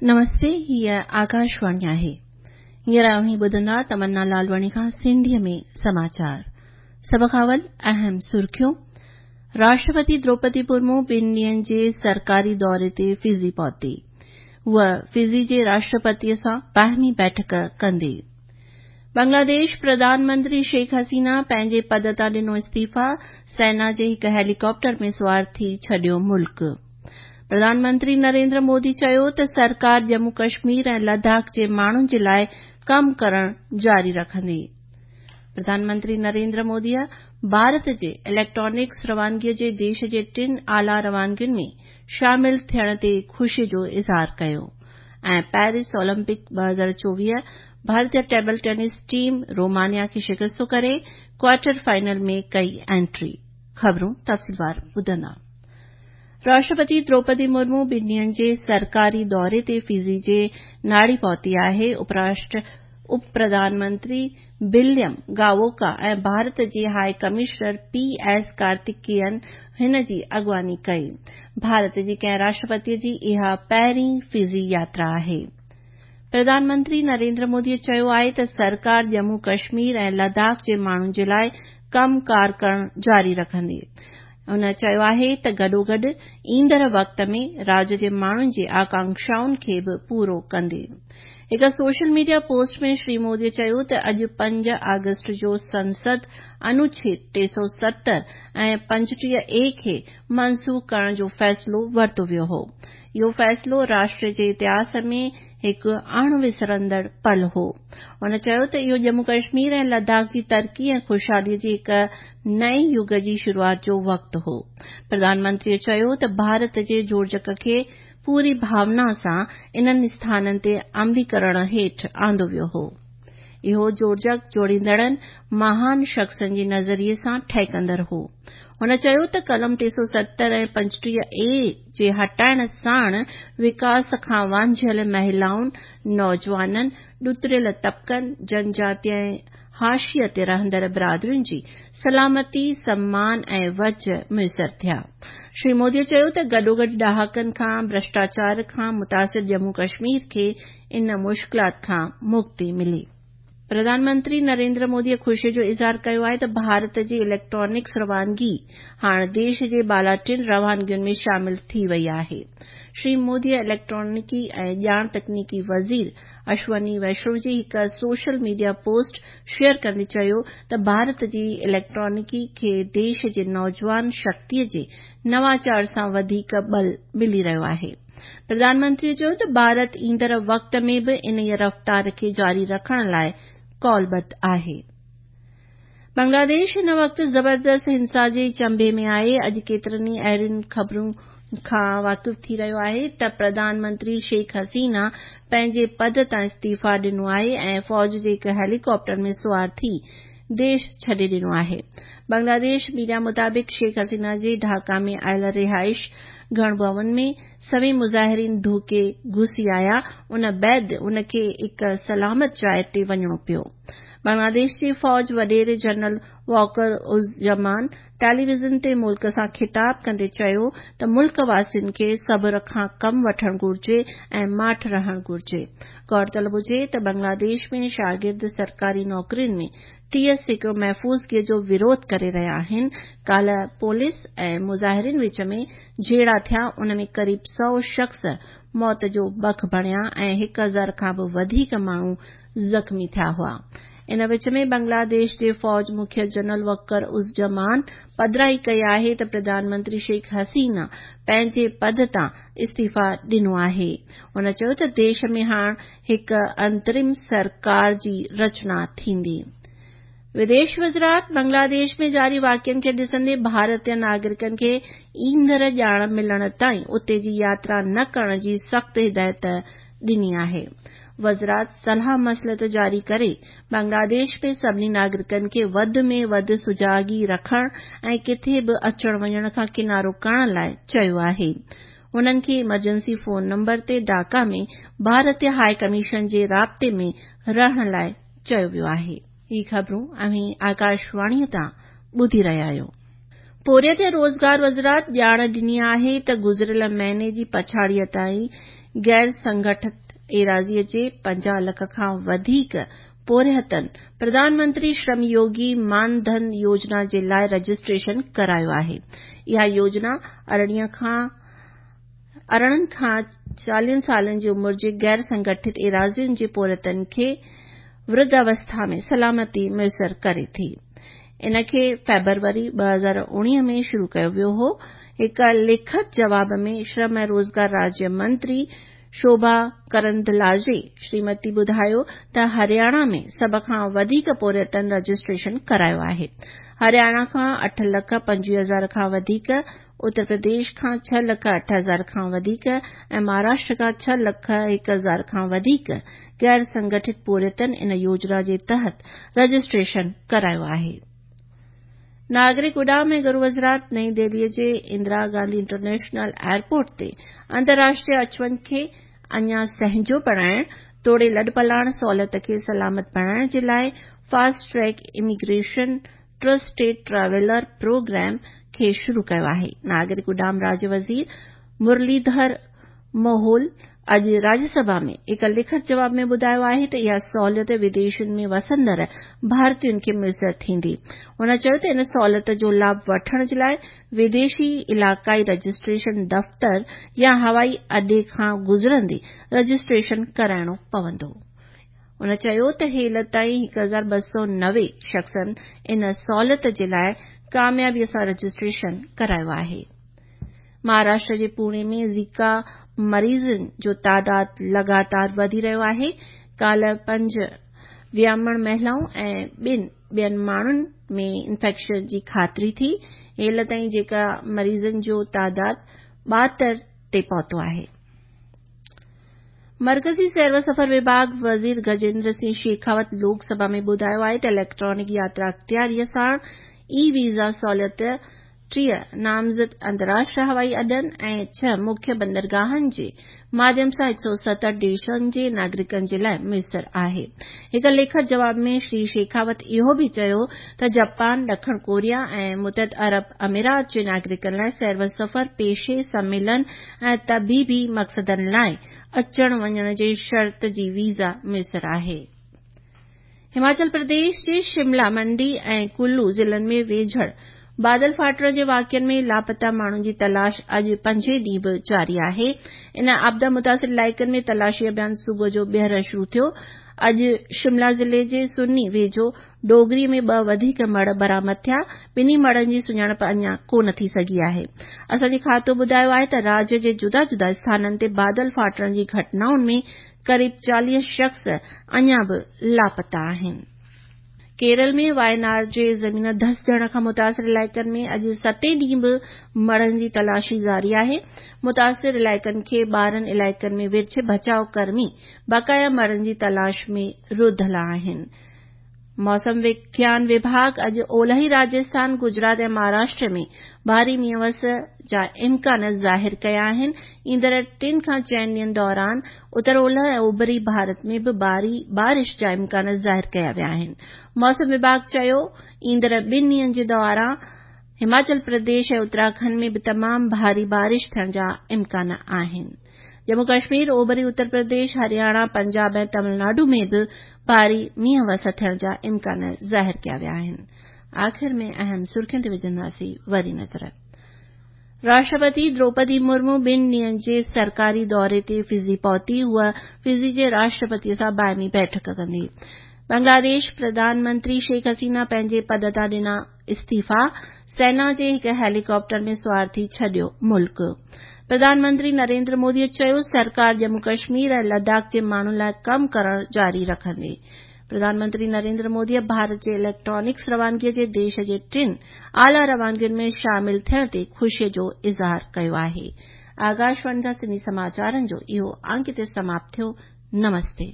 نمستي هيء آڪاشواڻي آهي. هينئر اوهين ٻڌندا تمنا لالواڻي کان سنڌيء ۾ سماچار. سڀ کان اول اهم سرخيون. راشٽرپتي دروپدي مرمو ٻن ڏينهن جي سرڪاري دوري تي فجي پهتي. هوء فجي جي راشٽرپتيء سان باهمي بيٺڪ ڪندي. بنگلاديش پرڌان منتري شيخ حسينه پنهنجي پد تان ڏنو استعيفيٰ، سينا جي هڪ هيليڪاپٽر ۾ سوار ٿي ڇڏيو ملڪ. پرڌان منتري نريندر مودي چيو ته سرڪار ڄمون ڪشمير ۽ لداخ جي ماڻهن جي لاء ڪم ڪرڻ جاري رکندي. پرڌان منتري نريندر موديء ڀارت جي اليڪٽرانڪس روانگي جي ديش جي ٽن اعليٰ روانگين ۾ شامل ٿيڻ تي خوشي جو اظهار ڪيو ۽ پيرس اولمپڪ 2024 ڀارتي ٽيبل ٽينس ٽيم رومانيا کي شڪست ڪري ڪوارٽر فائنل ۾ ڪئي انٽري. خبرون تفصيلوار ٻڌندا. راشٽرپتي دروپدي مرمو ٻن ڏينهن جي سرڪاري دوري تي فجي جي ناڙي پهتي آهي. اپ پرڌان منتري وليم گاووڪا ۽ ڀارت جي high commissioner P S Karthikeyan هن جي اڳواڻي ڪئي. ڀارت جي ڪنهن راشٽرپتي جي اها پهرين فجي ياترا آهي. پرڌان منتري نريندر مودي چيو آهي ته سرڪار ڄمون ڪشمير ۽ لداخ جي ماڻهن جي لاء ڪم ڪار ڪرڻ جاري رکندي. هن چيو آهي ته گڏوگڏ ايندڙ وقت ۾ راڄ جي ماڻهن جي آڪانڪشائن کي به پورو ڪندي. هڪ social media post ۾ Shri Modi چيو ته اڄ 5 آگسٽ جو سنسد انوڇيد 370 ۽ 35 اي کي منسوخ ڪرڻ جو فيصلو ورتو ويو هو. اهو فيصلو راشٽر جي اتهاس ۾ هڪ اڻ وسرندڙ پل هو. هن چيو ته اهو ڄمون ڪشمير ۽ لداخ جي ترقي ۽ خوشحالي جي هڪ نئين يگ جي شروعات جو وقت هو. پرڌان منتريء چيو ته ڀارت جي جوڙجڪ کي پوري ڀاونا سان انهن اسٿانن تي عملي ڪرڻ هيٺ آندو ويو هو. اهو جوڙجڪ جوڙيندڙن مهان شخصن جي نظريي سان ٺهڪندڙ هو. هن چيو ته قلم 370 ۽ 35 اي جي هٽائڻ ساڻ وڪاس کان وانجهيل مهلائن، نوجوانن، ڏتڙيل طبقن، جنجاتي ۽ حاشيي تي رهندڙ برادرين جي سلامتي، سمان ۽ وجهه ميسر ٿيا. شري مودي چيو ته گڏوگڏ ڏهاڪن کان ڀرشٽاچار کان متاثر ڄمون ڪشمير کي ان مشڪلات کان مڪتي ملي. پرڌان منتري نريندر مودي خوشي جو اظهار ڪيو آهي ته ڀارت جي اليڪٽرانڪس روانگي هاڻ ديش جي بالا ٽن روانگين ۾ شامل ٿي وئي آهي. شري مودي اليڪٽرانڪي ۽ ڄاڻ تڪنيڪي وزير اشوني ويشنو جي هڪ سوشل ميڊيا پوسٽ شيئر ڪندي چيو ته ڀارت جي اليڪٽرانڪي کي ديش جي نوجوان شڪتي جي نواچار سان وڌيڪ ٻل ملي رهيو آهي. پرڌان منتري چيو ته ڀارت ايندڙ وقت ۾ به انهيء رفتار کي جاري رکڻ لاء قولبڌ آهي. بنگلاديش هن وقت زبردست هنسا جي چنبي ۾ آهي. اڄ ڪيترن ئي اهڙين خبرن کان واقف ٿي رهيو آهي ته پرڌان منتري شيخ حسينه پنهنجي پد تان استعيفيٰ ڏنو آهي ۽ فوج جي هڪ هيليڪاپٽر ۾ سوار ٿي ديش ڇڏي ڏنو آهي. بنگلاديش ميڊيا مطابق شيخ حسينه جي ڍاڪا ۾ آيل رهائش گڻ ڀون ۾ سوين مظاهرين ڌوڪي گهسي آيا ان بعد ان کي هڪ سلامت جاء تي وڃڻو پيو. بنگلاديش جي فوج وڏيري جنرل واڪر الزمان ٽيليويزن تي ملڪ سان خطاب ڪندي چيو ته ملڪ واسين کي صبر کان ڪم وٺڻ گهرجي ۽ ماٺ رهڻ گهرجي. غور طلب هجي ته بنگلاديش ۾ شاگرد سرڪاري نوڪرين ۾ 30% محفوظگي جو وروڌ ڪري رهيا آهن. ڪالهه پوليس ۽ مظاهرين وچ ۾ جهيڙا ٿيا ان ۾ قريب 100 شخص موت جو بک بڻيا ۽ 1000 کان به وڌيڪ ماڻهو زخمي ٿيا هئا. ان وچ ۾ بنگلاديش جي فوج مکي جنرل وقر الزمان پڌرائي ڪئي آهي ته پرڌان منتري شيخ حسينه پنهنجي پد تان استعيفيٰ ڏنو آهي. هن چيو ته ديش ۾ هاڻ هڪ انترم سرڪار جي رچنا ٿيندي. وديش وزارت بنگلاديش ۾ جاري واقعن کي ڏسندي ڀارتي ناگرڪن کي ايندڙ ڄاڻ ملڻ تائين اتي جي ياترا نه ڪرڻ جي سخت هدايت ڏني آهي. وزارت صلاح مصلحت جاري ڪري بنگلاديش ۾ سڀني ناگرڪن کي وڌ ۾ وڌ سجاڳي رکڻ ۽ ڪٿي به اچڻ وڃڻ کان ڪنارو ڪرڻ لاء چيو آهي. هنن کي ايمرجنسي فون نمبر تي ڍاڪا ۾ ڀارتي هاء ڪميشن جي رابطي ۾ رهڻ لاء چيو ويو آهي. هي خبرون اوهين آڪاشواڻي تان ٻڌي رهيا آهيو. پورهيت ۽ روزگار وزارت ڄاڻ ڏني آهي ته گذريل مهيني جي پڇاڙيء تائين غير سنگٺت ايراضيء جي 50 لک کان وڌيڪ پورهيتن پرڌان منتري شرم يوگي مان ڌن يوجنا جي لاء رجسٽريشن ڪرايو آهي. اها يوجنا 18 کان 40 سالن جي عمر جي غير سنگٺت ايراضين جي پورهيتن کي ورڌاوسٿا ۾ سلامتي ميسر ڪري ٿي. ان کي فيبروري 2019 ۾ شروع ڪيو ويو هو. هڪ لکت جواب ۾ شرم ۽ روزگار راجيه منتري شوڀا ڪرندلاجي شريمتي ٻڌايو ته هرياڻا ۾ سڀ کان وڌيڪ پورهيتن رجسٽريشن ڪرايو آهي. هرياڻا کان 8 لک 25 هزار کان وڌيڪ، اتر پرديش کان 6 لک 8 هزار کان وڌيڪ ۽ مهاراشٽر کان 6 لک 1 هزار کان وڌيڪ غير سنگٺت پورهيتن ان يوجنا جي تحت رجسٽريشن ڪرايو آهي. ناگرڪ اڏام ۽ گهرو وزارت نئين دهلي جي اندرا گانڌي انٽرنيشنل ايئرپورٽ تي انترراشٽريه اچ وڃ کي اڃا سهنجو بڻائڻ توڙي لڏپلاڻ سهولت کي سلامت بڻائڻ جي لاء fast track immigration trusted traveller programme کي شروع ڪيو آهي. ناگرڪ اڏام راجيه وزير مرليڌر موهول اڄ راجيه سڀا ۾ هڪ لکت جواب ۾ ٻڌايو آهي ته اها سهولت وديشن ۾ وسندڙ ڀارتين کي ميسر ٿيندي. هن چيو ته ان سهولت جو لاڀ وٺڻ جي لاء وديشي علائقائي رجسٽريشن دفتر يا هوائي اڏي کان گذرندي رجسٽريشن ڪرائڻو پوندو. هن چيو ته هيل تائين 1290 شخصن ان سهولت جي لاء ڪاميابي سان رجسٽريشن ڪرايو آهي. مهاراشٽر جي پوڻي ۾ زيڪا مريضن جو تعداد لڳاتار وڌي رهيو آهي. ڪالهه پنج ويامڻ مهلائون ۽ ٻن ٻين ماڻهن ۾ انفيڪشن جي خاطري ٿي. هيل تائين زيڪا مريضن جو تعداد 72 تي پهتو آهي. مرڪزي سير و سفر وڀاڳ وزير گجيندر سنگهه شيخاوت لوڪ سڀا ۾ ٻڌايو آهي ته اليڪٽرانڪ ياترا اختياريء ساڻ اي ويزا سهولت 30 نامزد انترراشٽريه هوائي اڏن ۽ 6 مکيه بندرگاهن جي ماڌيم سان 170 ديشن جي ناگرڪن جي لاء ميسر آهي. هڪ لکت جواب ۾ شري شيخاوت اهو به چيو ته جاپان، ڏکڻ ڪوريا ۽ متحده عرب امارات جي ناگرڪن لاء سير و سفر، پيشي، سميلن ۽ طبيبي مقصدن لاء اچڻ وڃڻ جي شرط جي ويزا ميسر آهي. هماچل پرديش جي شملا، منڊي ۽ ڪلو ضلعن ۾ ويجهڙ بادل ڦاٽڻ جي واقعن ۾ لاپتا ماڻهن جي تلاش اڄ پنجين ڏينهن به جاري آهي. ان آپدا متاثر علائقن ۾ تلاشي اڀيان صبح جو ٻيهر شروع ٿيو. اڄ شملا ضلعي جي سني ويجهو ڊوگري ۾ ٻه وڌيڪ مڙهه برآمد ٿيا. ٻنهي مڙهن جي سڃاڻپ اڃا ڪونه ٿي سگهي آهي. اسان جي کاتو ٻڌايو آهي ته راجيه جي جدا جدا اسٿانن تي بادل ڦاٽڻ جي گهٽنائن ۾ قريب 40 شخص اڃا به لاپتا آهن. ڪيرل ۾ واينار جي زمين ڌسجڻ کان متاثر علائقن ۾ اڄ ستين ڏينهن به مڙهن جي تلاشي جاري آهي. متاثر علائقن کي 12 علائقن ۾ ورڇي بچاء ڪرمي بقايا مڙهن جي تلاش ۾ رڌل آهن. موسم وگيان وڀاڳ اڄ اولهي راجسٿان، گجرات ۽ مهاراشٽر ۾ ڀاري مينهن وس جا امڪان ظاهر ڪيا آهن. ايندڙ ٽن کان چئن ڏينهن دوران اتر اولهه ۽ اوڀري ڀارت ۾ به ڀاري بارش جا امڪان ظاهر ڪيا ويا آهن. موسم وڀاڳ چيو ايندڙ ٻن ڏينهن جي دوران هماچل پرديش ۽ اتراکنڊ ۾ به تمام ڀاري بارش ٿيڻ جا امڪان آهن. ڄمون ڪشمير، اوڀري اتر پرديش، هرياڻا، پنجاب ۽ تمل ناڊو ۾ به ڀاري مينهن وس ٿيڻ جا امڪان ظاهر ڪيا ويا آهن. آخر ۾ اهم سرخين تي وجهنداسين وري نظر. راشٽرپتي دروپدي مرمو ٻن ڏينهن جي سرڪاري دوري تي فجي پهتي. هوء فجي جي راشٽرپتي سان باهمي بيٺڪ ڪندي. بنگلاديش پرڌان منتري شيخ حسينه پنهنجي پد تان ڏنا استعيفا، سينا جي هڪ هيليڪاپٽر ۾ سوار ٿي ڇڏيو ملڪ. پرڌان منتري نريندر مودي چيو سرڪار ڄمون ڪشمير ۽ لداخ جي ماڻهن لاء ڪم ڪرڻ جاري رکندي. پرڌان منتري نريندر مودي ڀارت جي اليڪٽرانڪس روانگي جي ديش جي ٽن اعليٰ روانگين ۾ شامل ٿيڻ تي خوشي جو اظهار ڪيو آهي. آڪاشواڻي کان سنڌي سماچارن جو اهو انڪ هتي سماپت ٿيو. نمستي.